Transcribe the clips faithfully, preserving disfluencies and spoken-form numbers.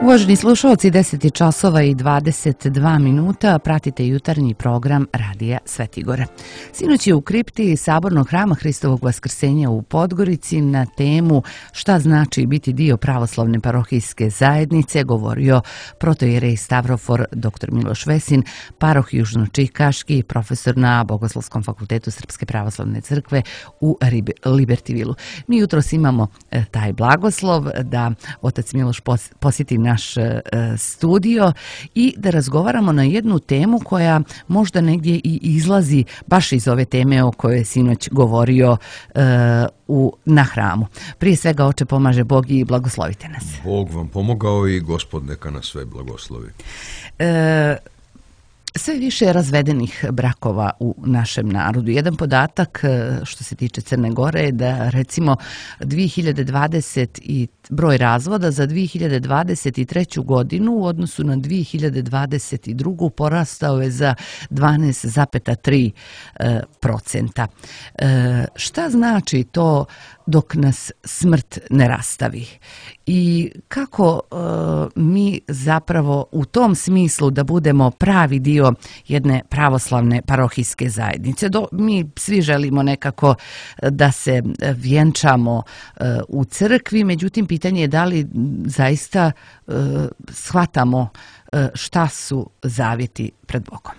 Uvaženi slušalci, deset je časova i dvadeset dva minuta, pratite jutarnji program Radija Svetigora. Sinoć je u kripti Sabornog hrama Hristovog Vaskrsenja u Podgorici na temu šta znači biti dio pravoslavne parohijske zajednice govorio protoijerej Stavrofor dr Miloš Vesin, paroh južnočikaški, profesor na Bogoslovskom fakultetu Srpske pravoslavne crkve u Libertivilu. Mi jutros imamo taj blagoslov da otac Miloš posjeti naš studio i da razgovaramo na jednu temu koja možda negdje i izlazi baš iz ove teme o kojoj je sinoć govorio uh, u, na hramu. Prije svega, oče, pomaže Bog i blagoslovite nas. Bog vam pomogao i Gospod neka nas sve blagoslovi. Uh, Sve više je razvedenih brakova u našem narodu. Jedan podatak što se tiče Crne Gore je da recimo dvije hiljade dvadeset i broj razvoda za dvije hiljade dvadeset treću godinu u odnosu na dvije hiljade dvadeset drugu porastao je za dvanaest zarez tri procenta. Šta znači to dok nas smrt ne rastavi? I kako e, mi zapravo u tom smislu da budemo pravi dio jedne pravoslavne parohijske zajednice? Do, mi svi želimo nekako da se vjenčamo e, u crkvi, međutim pitanje je da li zaista e, shvatamo e, šta su zavjeti pred Bogom.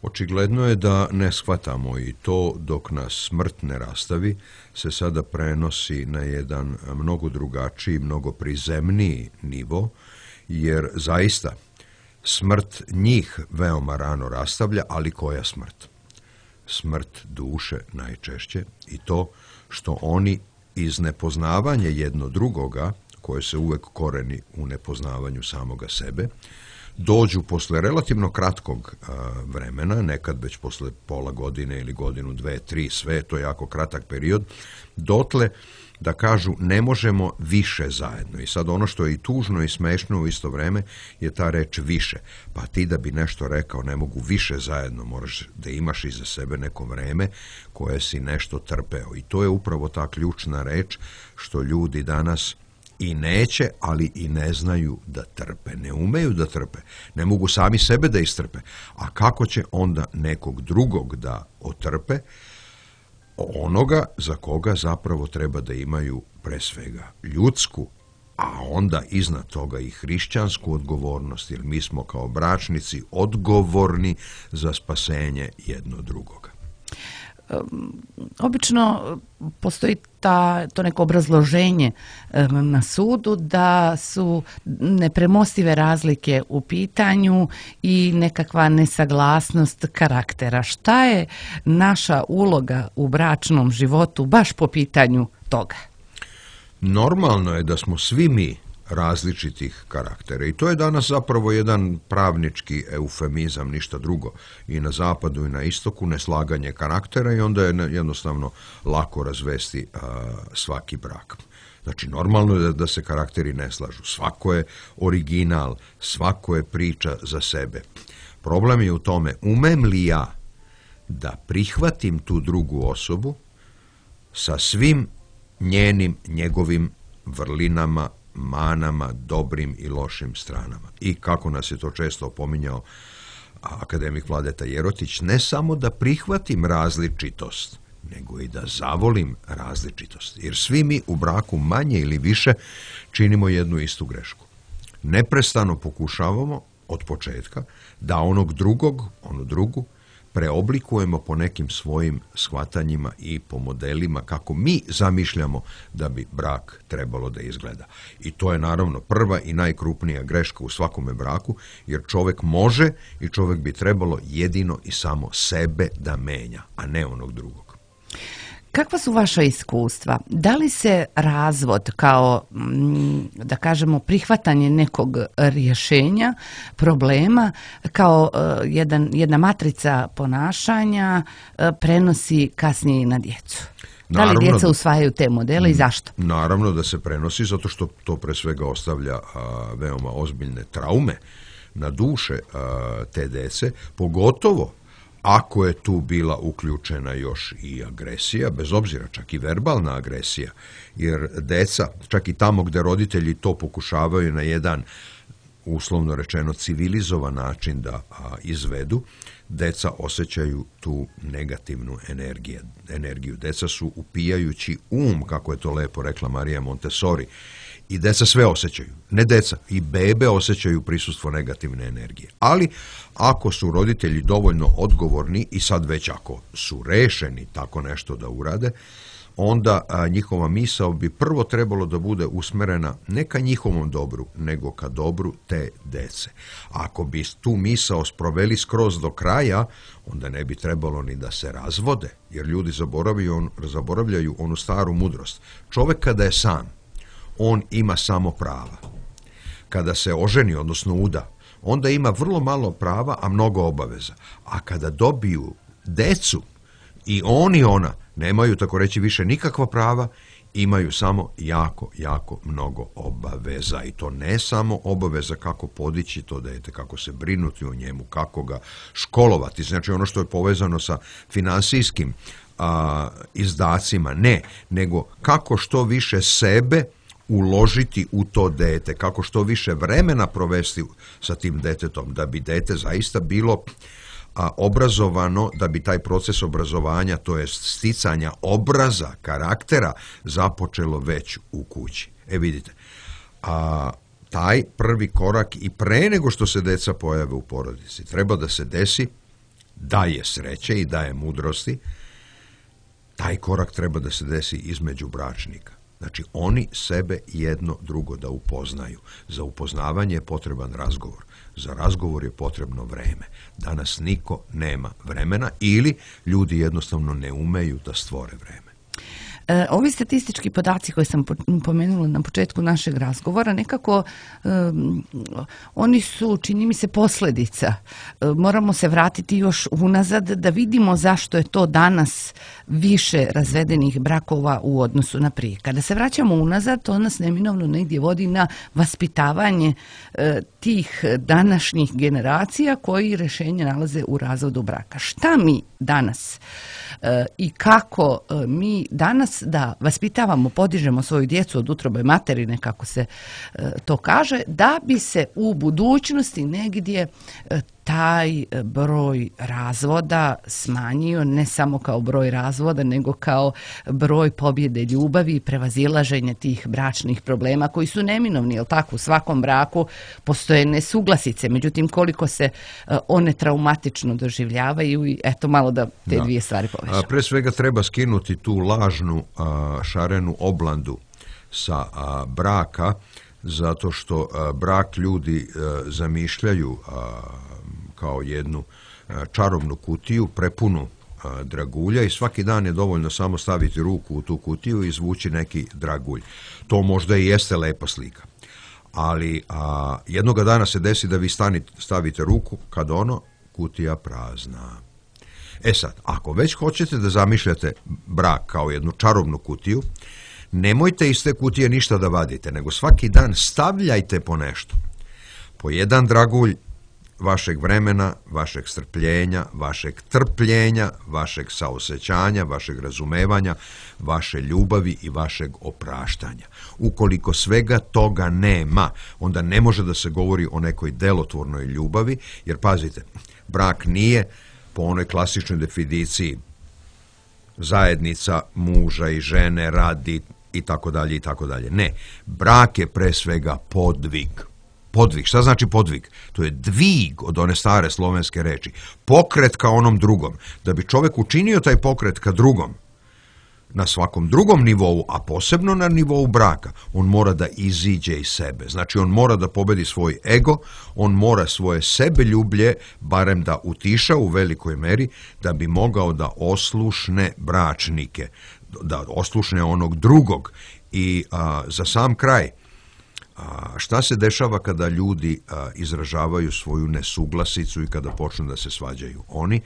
Očigledno je da ne shvatamo i to dok nas smrt ne rastavi se sada prenosi na jedan mnogo drugačiji, mnogo prizemniji nivo, jer zaista smrt njih veoma rano rastavlja, ali koja smrt? Smrt duše najčešće i to što oni iz nepoznavanja jedno drugoga, koje se uvek koreni u nepoznavanju samoga sebe, dođu posle relativno kratkog a, vremena, nekad već posle pola godine ili godinu, dve, tri, sve, to je jako kratak period, dotle da kažu ne možemo više zajedno. I sad ono što je i tužno i smešno u isto vreme je ta reč više. Pa ti da bi nešto rekao ne mogu više zajedno, moraš da imaš iza sebe neko vreme koje si nešto trpeo. I to je upravo ta ključna reč što ljudi danas i neće, ali i ne znaju da trpe. Ne umeju da trpe. Ne mogu sami sebe da istrpe. A kako će onda nekog drugog da otrpe? Onoga za koga zapravo treba da imaju pre svega ljudsku, a onda iznad toga i hrišćansku odgovornost, jer mi smo kao bračnici odgovorni za spasenje jedno drugoga. Obično postoji ta, to neko obrazloženje na sudu da su nepremostive razlike u pitanju i nekakva nesaglasnost karaktera. Šta je naša uloga u bračnom životu baš po pitanju toga? Normalno je da smo svi mi različitih karaktera i to je danas zapravo jedan pravnički eufemizam, ništa drugo. I na zapadu i na istoku neslaganje karaktera i onda je jednostavno lako razvesti a, svaki brak. Znači, normalno je da, da se karakteri ne slažu. Svako je original, svako je priča za sebe. Problem je u tome, umem li ja da prihvatim tu drugu osobu sa svim njenim, njegovim vrlinama, manama, dobrim i lošim stranama. I kako nas je to često opominjao akademik Vladeta Jerotić, ne samo da prihvatim različitost, nego i da zavolim različitost. Jer svi mi u braku manje ili više činimo jednu istu grešku. Neprestano pokušavamo od početka da onog drugog, onu drugu, preoblikujemo po nekim svojim shvatanjima i po modelima kako mi zamišljamo da bi brak trebalo da izgleda. I to je naravno prva i najkrupnija greška u svakome braku, jer čovek može i čovek bi trebalo jedino i samo sebe da menja, a ne onog drugog. Kakva su vaša iskustva? Da li se razvod kao, da kažemo, prihvatanje nekog rješenja, problema, kao jedan, jedna matrica ponašanja prenosi kasnije na djecu? Da li djeca usvajaju te modele i zašto? Naravno da se prenosi, zato što to pre svega ostavlja a, veoma ozbiljne traume na duše a, te dece, pogotovo ako je tu bila uključena još i agresija, bez obzira čak i verbalna agresija, jer deca, čak i tamo gde roditelji to pokušavaju na jedan uslovno rečeno civilizovan način da a, izvedu, deca osjećaju tu negativnu energiju. energiju. Deca su upijajući um, kako je to lepo rekla Marija Montessori, i deca sve osjećaju. Ne deca, i bebe osjećaju prisustvo negativne energije. Ali ako su roditelji dovoljno odgovorni i sad već ako su rešeni tako nešto da urade, onda a, njihova misao bi prvo trebalo da bude usmerena ne ka njihovom dobru, nego ka dobru te dece. Ako bi tu misao sproveli skroz do kraja, onda ne bi trebalo ni da se razvode, jer ljudi zaboravljaju, on, zaboravljaju onu staru mudrost. Čovek kada je sam, on ima samo prava. Kada se oženi, odnosno uda, onda ima vrlo malo prava, a mnogo obaveza. A kada dobiju decu, i on i ona nemaju, tako reći, više nikakva prava, imaju samo jako, jako mnogo obaveza. I to ne samo obaveza kako podići to dete, kako se brinuti o njemu, kako ga školovati. Znači ono što je povezano sa finansijskim a, izdacima, ne, nego kako što više sebe uložiti u to dete, kako što više vremena provesti sa tim detetom, da bi dete zaista bilo a, obrazovano, da bi taj proces obrazovanja, to jest sticanja obraza, karaktera, započelo već u kući. E vidite, a, taj prvi korak i pre nego što se deca pojave u porodici, treba da se desi, daje sreće i daje mudrosti, taj korak treba da se desi između bračnika. Znači, oni sebe jedno drugo da upoznaju. Za upoznavanje je potreban razgovor. Za razgovor je potrebno vreme. Danas niko nema vremena ili ljudi jednostavno ne umeju da stvore vreme. E, ovi statistički podaci koje sam pomenula na početku našeg razgovora, nekako um, oni su, čini mi se, posljedica. E, moramo se vratiti još unazad da vidimo zašto je to danas više razvedenih brakova u odnosu na prije. Kada se vraćamo unazad, to nas neminovno negdje vodi na vaspitavanje e, tih današnjih generacija koji rješenje nalaze u razvodu braka. Šta mi danas e, i kako e, mi danas da vaspitavamo, podižemo svoju djecu od utrobe materine, kako se e, to kaže, da bi se u budućnosti negdje e, taj broj razvoda smanjio, ne samo kao broj razvoda, nego kao broj pobjede ljubavi i prevazilaženja tih bračnih problema koji su neminovni, jel tako? U svakom braku postoje nesuglasice, međutim koliko se one traumatično doživljavaju i eto malo da te da. dvije stvari povežemo. Pre svega treba skinuti tu lažnu a, šarenu oblandu sa a, braka, zato što a, brak ljudi a, zamišljaju a, kao jednu čarobnu kutiju, prepunu dragulja i svaki dan je dovoljno samo staviti ruku u tu kutiju i izvući neki dragulj. To možda i jeste lepa slika. Ali a, jednoga dana se desi da vi stanite, stavite ruku kad ono, kutija prazna. E sad, ako već hoćete da zamišljate brak kao jednu čarobnu kutiju, nemojte iz te kutije ništa da vadite, nego svaki dan stavljajte po nešto. Po jedan dragulj vašeg vremena, vašeg strpljenja, vašeg trpljenja, vašeg saosećanja, vašeg razumevanja, vaše ljubavi i vašeg opraštanja. Ukoliko svega toga nema, onda ne može da se govori o nekoj delotvornoj ljubavi, jer pazite, brak nije po onoj klasičnoj definiciji zajednica muža i žene, radi i tako dalje i tako dalje. Ne, brak je pre svega podvig. Podvig. Šta znači podvig? To je dvig od one stare slovenske reči. Pokret ka onom drugom. Da bi čovjek učinio taj pokret ka drugom, na svakom drugom nivou, a posebno na nivou braka, on mora da iziđe iz sebe. Znači, on mora da pobedi svoj ego, on mora svoje sebeljublje, barem da utiša u velikoj meri, da bi mogao da oslušne bračnike, da oslušne onog drugog. I a, za sam kraj, A šta se dešava kada ljudi a, izražavaju svoju nesuglasicu i kada počnu da se svađaju? Oni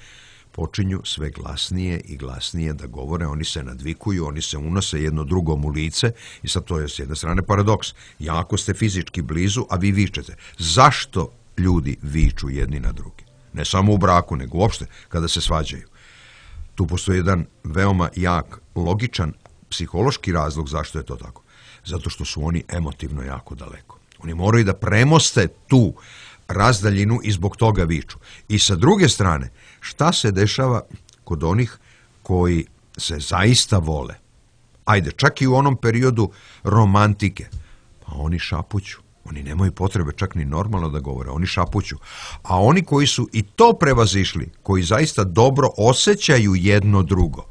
počinju sve glasnije i glasnije da govore, oni se nadvikuju, oni se unose jedno drugom u lice i sad to je s jedne strane paradoks. Jako ste fizički blizu, a vi vičete. Zašto ljudi viču jedni na drugi? Ne samo u braku, nego uopšte kada se svađaju. Tu postoji jedan veoma jak, logičan, psihološki razlog zašto je to tako. Zato što su oni emotivno jako daleko. Oni moraju da premoste tu razdaljinu i zbog toga viču. I sa druge strane, šta se dešava kod onih koji se zaista vole? Ajde, čak i u onom periodu romantike, pa oni šapuću. Oni nemaju potrebe čak ni normalno da govore, oni šapuću. A oni koji su i to prevazišli, koji zaista dobro osjećaju jedno drugo,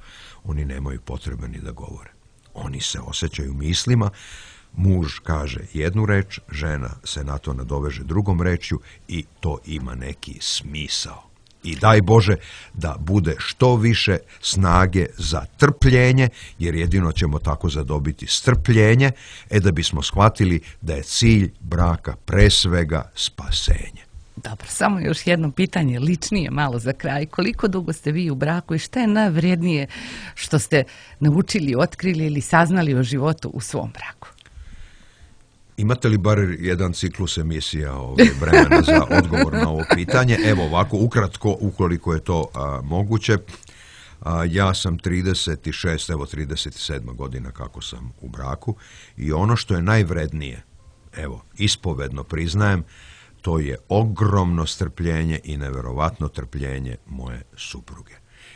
oni nemaju potrebe ni da govore. Oni se osjećaju mislima, muž kaže jednu reč, žena se na to nadoveže drugom rečju i to ima neki smisao. I daj Bože da bude što više snage za trpljenje, jer jedino ćemo tako zadobiti strpljenje, e da bismo shvatili da je cilj braka pre svega spasenje. Dobro, samo još jedno pitanje, ličnije malo za kraj. Koliko dugo ste vi u braku i šta je najvrednije što ste naučili, otkrili ili saznali o životu u svom braku? Imate li bar jedan ciklus emisija ove vremena za odgovor na ovo pitanje? Evo ovako, ukratko, ukoliko je to a, moguće. A, ja sam trideset šest, evo trideset sedma godina kako sam u braku i ono što je najvrednije, evo, ispovedno priznajem, to je ogromno strpljenje i neverovatno trpljenje moje supruge.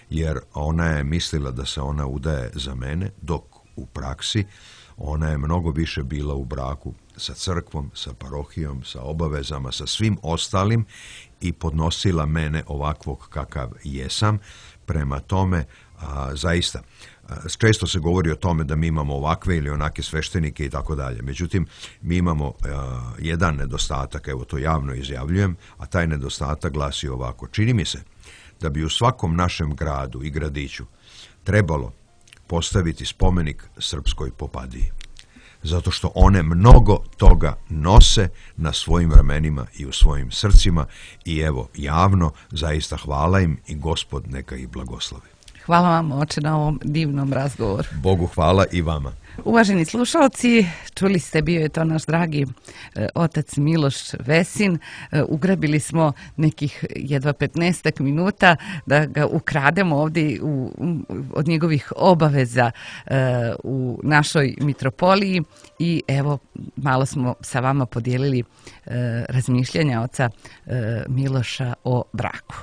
Jer ona je mislila da se ona udaje za mene, dok u praksi ona je mnogo više bila u braku sa crkvom, sa parohijom, sa obavezama, sa svim ostalim i podnosila mene ovakvog kakav jesam. Prema tome, a, zaista, a, često se govori o tome da mi imamo ovakve ili onake sveštenike i tako dalje. Međutim, mi imamo a, jedan nedostatak, evo to javno izjavljujem, a taj nedostatak glasi ovako. Čini mi se da bi u svakom našem gradu i gradiću trebalo postaviti spomenik srpskoj popadiji. Zato što one mnogo toga nose na svojim ramenima i u svojim srcima i evo, javno, zaista hvala im i Gospod neka ih blagoslovi. Hvala vam, oče, na ovom divnom razgovoru. Bogu hvala i vama. Uvaženi slušalci, čuli ste, bio je to naš dragi e, otac Miloš Vesin. E, ugrabili smo nekih jedva petnaestak minuta da ga ukrademo ovdje u, od njegovih obaveza e, u našoj mitropoliji i evo, malo smo sa vama podijelili e, razmišljanja oca e, Miloša o braku.